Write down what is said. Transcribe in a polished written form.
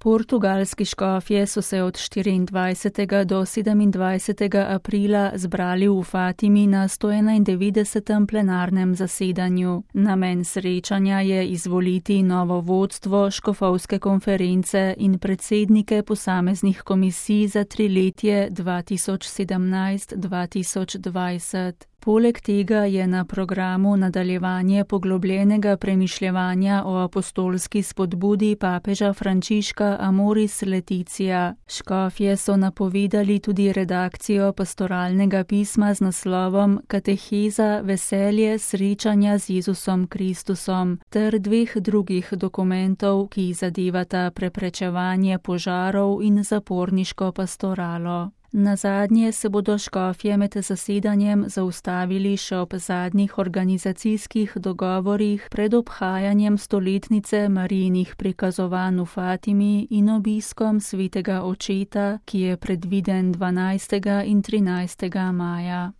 Portugalski škofje so se od 24. do 27. aprila zbrali v Fatimi na 191. plenarnem zasedanju. Namen srečanja je izvoliti novo vodstvo škofovske konference in predsednike posameznih komisij za triletje 2017-2020. Poleg tega je na programu nadaljevanje poglobljenega premišljevanja o apostolski spodbudi papeža Frančiška Amoris Laetitia. Škofje so napovedali tudi redakcijo pastoralnega pisma z naslovom Kateheza veselje srečanja z Jezusom Kristusom ter 2 drugih dokumentov, ki zadevata preprečevanje požarov in zaporniško pastoralo. Nazadnje se bodo škofje med zasedanjem zaustavili še ob zadnjih organizacijskih dogovorih pred obhajanjem stoletnice Marijinih prikazovanj v Fatimi in obiskom svetega očeta, ki je predviden 12. in 13. maja.